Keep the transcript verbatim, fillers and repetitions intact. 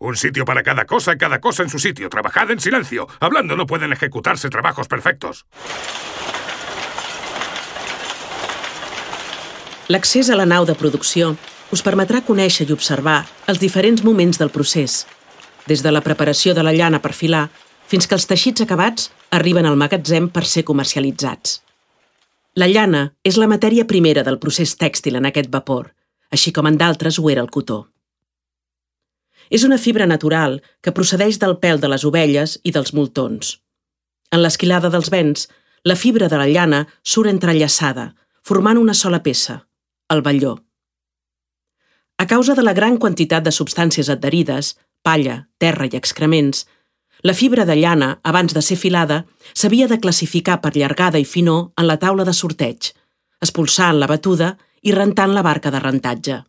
Un sitio para cada cosa, cada cosa en su sitio. Trabajad en silencio. Hablando no pueden ejecutarse trabajos perfectos. L'accés a la nau de producció us permetrà conèixer i observar els diferents moments del procés, des de la preparació de la llana per filar fins que els teixits acabats arriben al magatzem per ser comercialitzats. La llana és la matèria primera del procés tèxtil en aquest vapor, així com en d'altres ho era el cotó. És una fibra natural que procedeix del pèl de les ovelles i dels moltons. En l'esquilada dels vents, la fibra de la llana surt entrellaçada, formant una sola peça, el velló. A causa de la gran quantitat de substàncies adherides, palla, terra i excrements, la fibra de llana, abans de ser filada, s'havia de classificar per llargada i finor en la taula de sorteig, expulsant la batuda i rentant la barca de rentatge.